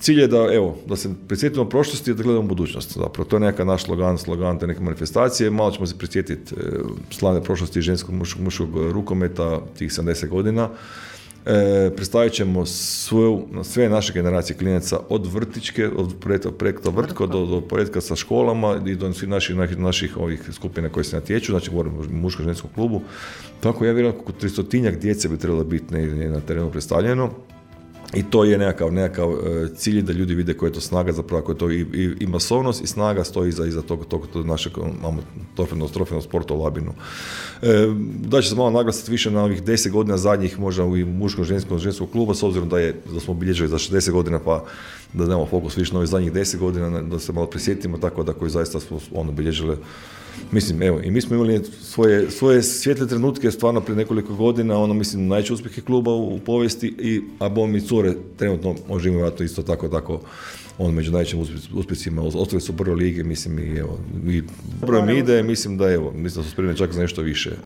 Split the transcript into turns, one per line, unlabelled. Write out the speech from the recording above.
cilj je da se prisjetimo prošlosti i da gledamo budućnost. Zapravo, to je neka naš slogan te neke manifestacije. Malo ćemo se prisjetiti slavne prošlosti ženskog muškog rukometa, tih 70 godina. Predstavit ćemo sve naše generacije klinaca od vrtićke, od projekta Vrtko do projekta sa školama i do svih naših ovih skupina koje se natječu, znači govorimo o muško-ženskom klubu. Tako ja vjerujem oko 300 djece bi trebalo biti na terenu predstavljeno. I to je nekakav cilj da ljudi vide koja je to snaga, zapravo koja je to i masovnost i snaga stoji iza tog našeg trofejnog sporta u Labinu. Da će se malo naglasiti više na ovih 10 godina zadnjih, možda u muško-ženskog kluba, s obzirom da smo obilježili za 60 godina, pa da nemamo fokus više na ovih zadnjih 10 godina, da se malo prisjetimo, tako da koji zaista smo obilježili. Mislim, evo, i mi smo imali svoje svijetle trenutke stvarno prije nekoliko godina, mislim, najveće uspjehe kluba u povijesti, a mi cure trenutno možemo imati isto tako među najvećim uspjesima, ostali su u prvoj ligi, mislim, i dobro im ide, mislim da su spremni čak za nešto više.